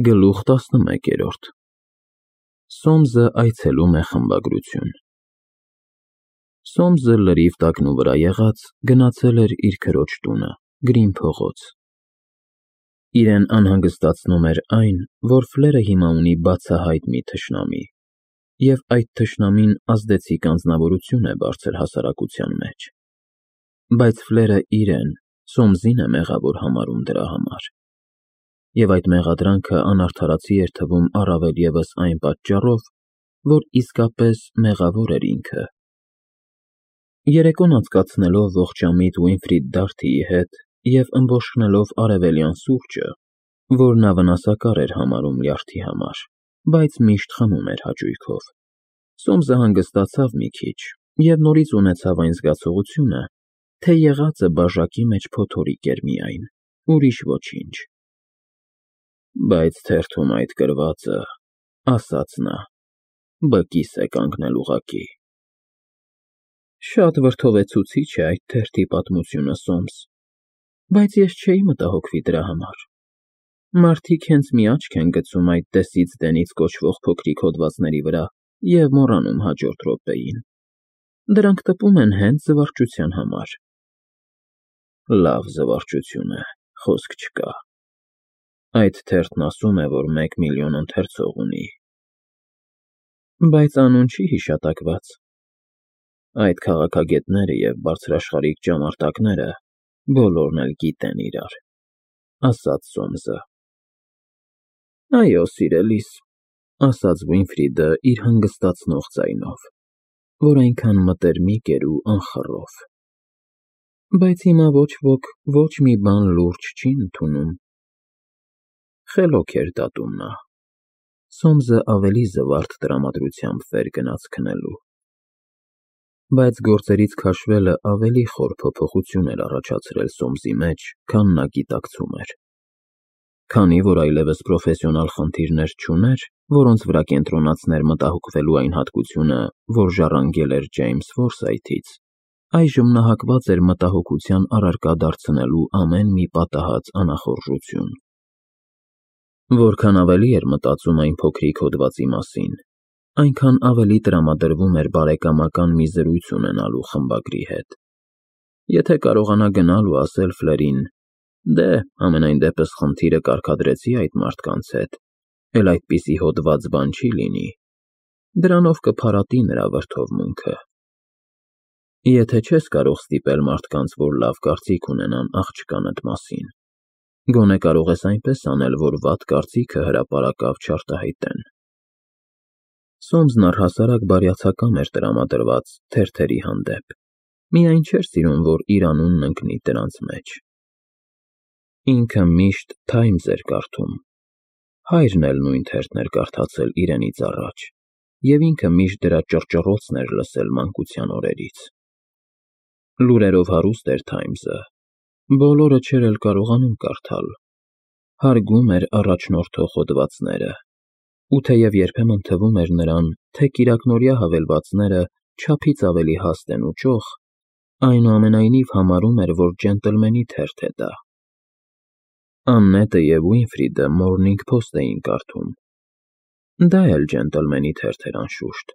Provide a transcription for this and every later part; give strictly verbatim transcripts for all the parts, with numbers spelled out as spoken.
Գլուխ տասնմեկերորդ Սոմսը այցելում է խմբագրություն Սոմսը լրիվ տակնուվրա վրա եղած գնացել էր իր քրոջ տունը, Գրին փողոց. իրեն անհանգստացնում էր այն, որ Ֆլերը հիմա ունի բացահայտ մի թշնամի, և այդ թշնամին ազդեցիկ անձնավորություն է բարձր հասարակության մեջ, բայց Ֆլերը իրեն՝ Սոմսին է մեղավոր համարում դրա համար, և այդ մեղադրանքը անարդարացի էր թվում առավել ևս այն պատճառով, որ իսկապես մեղավոր էր ինքը։ Երեկոն անցկացնելով ողջամիտ Վիլֆրիդ Դարթիի հետ և ըմբոշխնելով արևելյան սուրճը, որ նա վնասակար էր համարում լյարդի համար, բայց միշտ խմում էր հաճույքով, Սոմսը հանգստացավ մի քիչ և նորից ունեցավ այն զգացողությունը, թե եղածը բաժակի մեջ փոթորիկ էր միայն, ուրիշ ոչինչ։ Բայց թերթում այդ գրվածը, ասաց նա, բկիս է կանգնել ուղղակի։ Շատ վրդովեցուցիչ է այդ թերթի պատմությունը, Սոմս, բայց ես չէի մտահոգվի դրա համար։ Մարդիկ հենց մի աչք են գցում այդ դեսիցդենից կոչվող փոքրիկ հոդվածների վրա և մոռանում հաջորդ րոպեին։ Դրանք տպում են հենց զվարճության համար։ Լավ զվարճություն է, խոսք չկա։ Այդ թերթն ասում է, որ մեկ միլիոն ընթերցող ունի։ Բայց անուն չի հիշատակված։ Այդ քաղաքագետները և բարձրաշխարհիկ ճամարտակները բոլորն էլ գիտեն իրար, ասաց Սոմսը։ Այո, սիրելիս, ասաց Վիլֆրիդը իր հանգստացնող ձայնով, որ այնքան մտերմիկ էր ու անխռով։ Բայց հիմա ոչ ոք ոչ մի բան լուրջ չի ընդունում։ Խելոք էր դատում նա։ Սոմսը ավելի զվարթ տրամադրությամբ վեր գնաց քնելու։ Բայց գործերից քաշվելը ավելի խոր փոփոխություն էր առաջացրել Սոմսի մեջ, քան նա գիտակցում էր։ Քանի որ այլևս պրոֆեսիոնալ խնդիրներ չուներ, որոնց վրա կենտրոնացներ մտահոգվելու այն հատկությունը, որ ժառանգել էր Ջեյմս Ֆորսայթից, այժմ նա հակված էր մտահոգության առարկա դարձնելու ամեն մի պատահած անախորժություն։ Որքան ավելի էր մտածում այն փոքրիկ հոդվածի մասին, այնքան ավելի տրամադրվում էր բարեկամական մի զրույց ունենալու խմբագրի հետ։ Եթե կարողանա գնալ ու ասել Ֆլերին. «Դե, համենայն դեպս խնդիրը կարգադրեցի այդ մարդկանց հետ, էլ այդպիսի հոդված բան չի լինի», դրանով կփարատի նրա վրդովմունքը։ Եթե չես կարող ստիպել մարդկանց, որ լավ կարծիք ունենան աղջկանդ մասին, գոնե կարող ես այնպես անել, որ վատ կարծիքը հրապարակավ չարտահայտեն։ Սոմսն առհասարակ բարյացակամ էր տրամադրված թերթերի հանդեպ, միայն չէր սիրում, որ իր անունն ընկնի դրանց մեջ։ Ինքը միշտ Թայմս էր կարդում, հայրն էլ նույն թերթն էր կարդացել իրենից առաջ, և ինքը միշտ դրա ճռճռոցն էր լսել մանկության օրերից։ Լուրերով հարուստ էր Թայմսը, բոլորը չէր էլ կարողանում կարդալ, հարգում էր առաջնորդող հոդվածները, ու թեև երբեմն թվում էր նրան, թե կիրակնօրյա հավելվածները չափից ավելի հաստ են ու ճոխ, այնուամենայնիվ համարում էր, որ ջենտլմենի թերթ է դա։ Աննետը և Վիլֆրիդը Մորնինգ Փոսթ էին կարդում։ Դա էլ ջենտլմենի թերթ էր անշուշտ,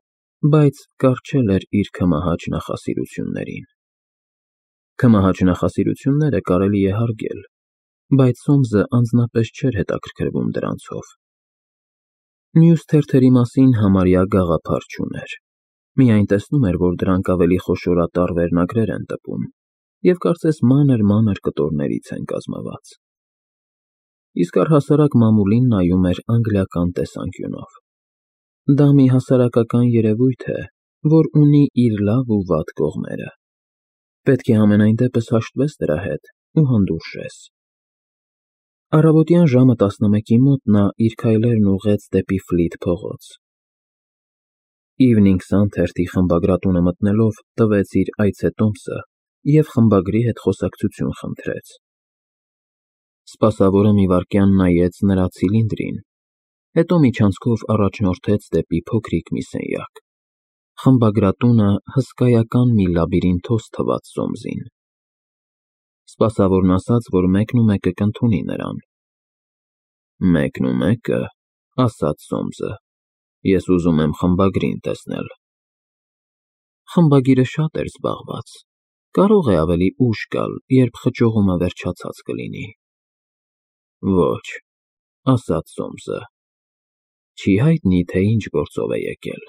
բայց կառչել էր իր քմահաճ նախասիրություններին։ Քմահաճ նախասիրությունները կարելի է հարգել, բայց Սոմսը անձնապես չէր հետաքրքրվում դրանցով։ Մյուս թերթերի մասին համարյա գաղափար չուներ, միայն տեսնում էր, որ դրանք ավելի խոշորատառ վերնագրեր են տպում և կարծես մանր-մանր կտորներից են կազմված։ Իսկ առհասարակ մամուլին նայում էր անգլիական տեսանկյունով։ Դա մի հասարակական երևույթ է, որ ունի իր լավ ու վատ կողմերը։ Պետք է համենայն դեպս հաշտվես դրա հետ ու հանդուրժես։ Առավոտյան ժամը տասնմեկի մոտ նա իր քայլերն ուղղեց դեպի Ֆլիթ փողոց։ Evening Sun թերթի խմբագրատունը մտնելով տվեց իր այցետոմսը և խմբագրի հետ խոսակցություն խնդրեց։ Սպասավորը մի վայրկյան նայեց նրա ցիլինդրին, հետո միջանցքով առաջնորդեց դեպի փոքրիկ մի սենյակ։ Խմբագրատունը հսկայական մի լաբիրինթոս թվաց Սոմսին։ Սպասավորն ասաց, որ մեկնումեկը կընդունի նրան։ Մեկն ու մեկը, ասաց Սոմսը, ես ուզում եմ խմբագրին տեսնել։ Խմբագիրը շատ էր զբաղված, կարող է ավելի ուշ գալ, երբ խճողումը վերջացած կլինի։ Ոչ, ասաց Սոմսը, չի հայտնի, թե ինչ գործով է եկել։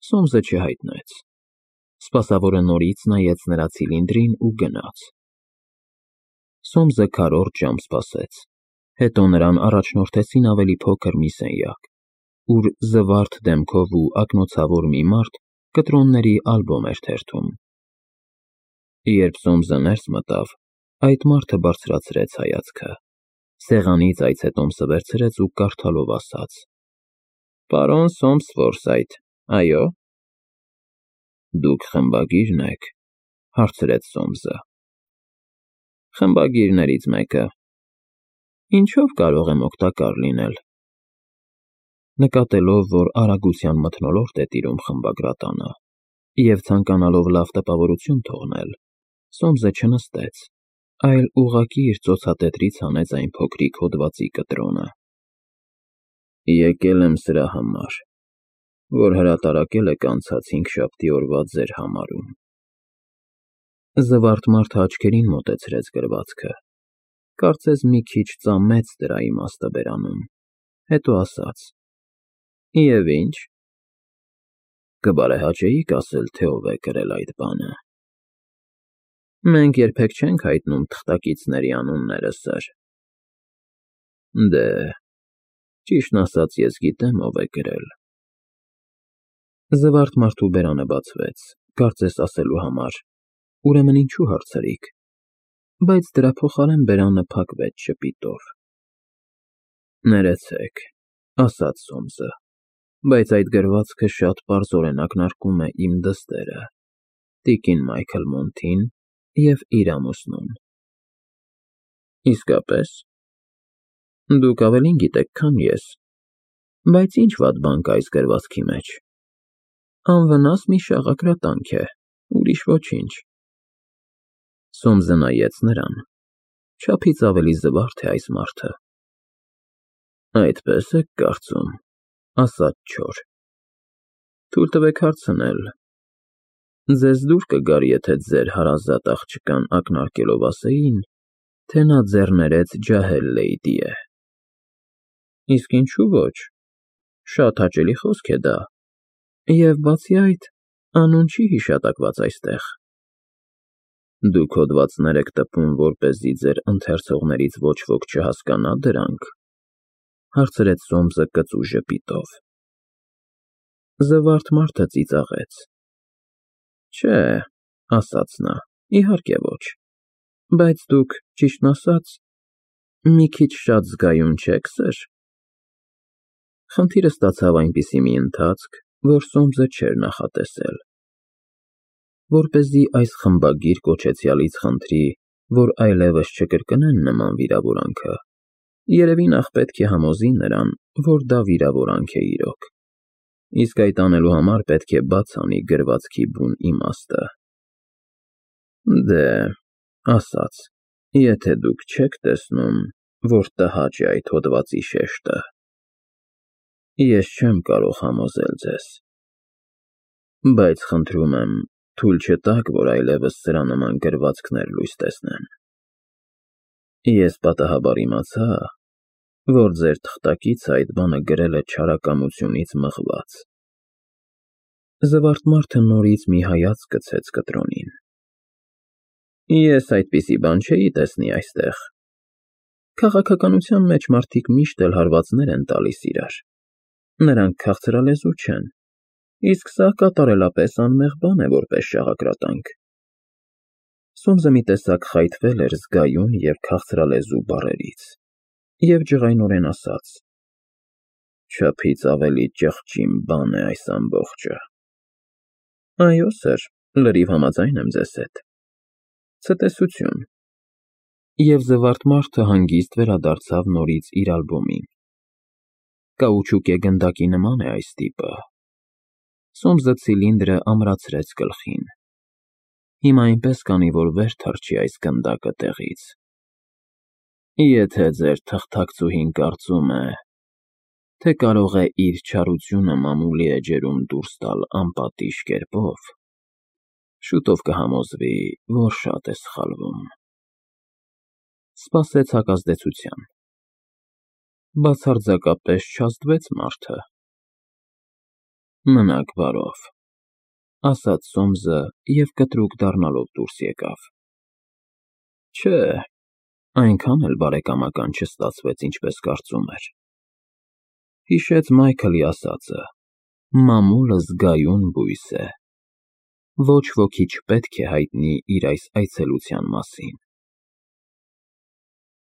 Սոմսը չհայտնեց։ Սպասավորը նորից նայեց նրա ցիլինդրին ու գնաց։ Սոմսը քառորդ ժամ սպասեց, հետո նրան առաջնորդեցին ավելի փոքր մի սենյակ, ուր զվարթ դեմքով ու ակնոցավոր մի մարդ կտրոնների ալբոմ էր թերթում։ Երբ Սոմսը ներս մտավ, այդ մարդը բարձրացրեց հայացքը, սեղանից այցետոմսը վերցրեց ու կարդալով ասաց. Պարոն Սոմս Ֆորսայթ, այո՞։ Դուք խմբագիր՞րն եք, հարցրեց Սոմսը։ Խմբագիրներից մեկը։ Ինչով կարող եմ օգտակար լինել։ Նկատելով, որ արագության մթնոլորտ է տիրում խմբագրատանը, և ցանկանալով լավ տպավորություն թողնել, Սոմսը չնստեց, այլ ուղղակի իր ծոցատետրից հանեց այն փոքրիկ հոդվածի կտրոնը։ Եկել եմ սրա համար, որ հրատարակել եք անցած հինգշաբթի օրվա ձեր համարում։ Զվարթ մարդը աչքերին մոտեցրեց գրվածքը, կարծես մի քիչ ծամեց դրա իմաստը բերանում, հետո ասաց. Եվ ինչ։ Կբարեհաճեիք ասել, թե ով է գրել այդ բանը։ Մենք երբեք չենք հայտնում թղթակիցների անունները, սըր։ Դե, ճիշտն ասած, ես գիտեմ, ով է գրել։ Զվարթ մարդու բերանը բացվեց, կարծես ասելու համար. ուրեմն ինչու հարցրիք, բայց դրա փոխարեն բերանը փակվեց ժպիտով։ Ներեցեք, ասաց Սոմսը, բայց այդ գրվածքը շատ պարզորեն ակնարկում է իմ դստերը, տիկին Մայքլ Մոնթին և իր ամուսնուն։ Իսկապես։ Դուք ավելին գիտեք, քան ես, բայց ինչ վատ բան կա այս գրվածքի մեջ։ Անվնաս մի շաղակրատանք է, ուրիշ ոչինչ։ Սոմսը նայեց նրան, չափից ավելի զվարթ է այս մարդը։ Այդպես եք կարծում, ասաց չոր։ Թույլ տվեք հարցնել, ձեզ դուր կգար, եթե ձեր հարազատ աղջկան ակնարկելով ասեին, թե նա ձեռներեց ջահել լեյդի է։ Իսկ ինչու ոչ, շատ հաճելի խոսք է դա, և բացի այդ, անուն չի հիշատակված այստեղ։ Դուք հոդվածներ եք տպում, որպեսզի ձեր ընթերցողներից ոչ ոք չհասկանա դրանք, հարցրեց Սոմսը կծու ժպիտով։ Զվարթ մարդը ծիծաղեց։ Չէ, ասաց նա, իհարկե ոչ, բայց դուք, ճիշտն ասած, մի քիչ շատ զգայուն չեք, սըր։ Խնդիրը ստացավ այնպիսի մի ընթացք, որ Սոմսը չէր նախատեսել։ Որպեսզի այս խմբագիր կոչեցյալից խնդրի, որ այլևս չկրկնեն նման վիրավորանքը, երևի նախ պետք է համոզի նրան, որ դա վիրավորանք է իրոք, իսկ այդ անելու համար պետք է բաց անի գրվածքի բուն իմաստը։ Դե, ասաց, եթե դուք չեք տեսնում, որ տհաճ է այդ հոդվածի շեշտը, ես չեմ կարող համոզել ձեզ, բայց խնդրում եմ, թույլ չտաք, որ այլևս սրա նման գրվածքներ լույս տեսնեն։ Ես պատահաբար իմացա, որ ձեր թղթակիցը այդ բանը գրել է չարակամությունից մղված։ Զվարթ մարդը նորից մի հայացք գցեց կտրոնին։ Ես այդպիսի բան չէի տեսնի այստեղ։ Քաղաքականության մեջ մարդիկ միշտ էլ հարվածներ են տալիս իրար։ Նրանք քաղցրալեզու չեն, իսկ սա կատարելապես անմեղ բան է, որպես շաղակրատանք։ Սոմսը մի տեսակ խայթվել էր զգայուն և քաղցրալեզու բառերից և ջղայնորեն ասաց. Չափից ավելի ճղճին բան է այս ամբողջը։ Այո, սըր, լրիվ համաձայն եմ ձեզ հետ։ Ցտեսություն։ Եվ զվարթ մարդը հանգիստ վերադարձավ նորից իր ալբոմին։ Կաուչուկե գնդակի նման է այս տիպը։ Սոմսը ցիլինդրը ամրացրեց գլխին։ Հիմա այնպես կանի, որ վեր թռչի այս գնդակը տեղից։ Եթե ձեր թղթակցուհին կարծում է, թե կարող է իր չարությունը մամուլի էջերում դուրս տալ անպատիժ կերպով, շուտով կհամոզվի, որ շատ է սխալվում, ֊ սպասեց հակազդեցության։ Բացարձակապես չազդվեց մարդը։ ֊ Մնաք բարով, ֊ ասաց Սոմսը և կտրուկ դառնալով դուրս եկավ։ Չէ, այնքան էլ բարեկամական չստացվեց, ինչպես կարծում էր։ Հիշեց Մայքլի ասածը. «Մամուլը զգայուն բույս է, ոչ ոքի չպետք է հայտնի իր այս այցելության մասին»։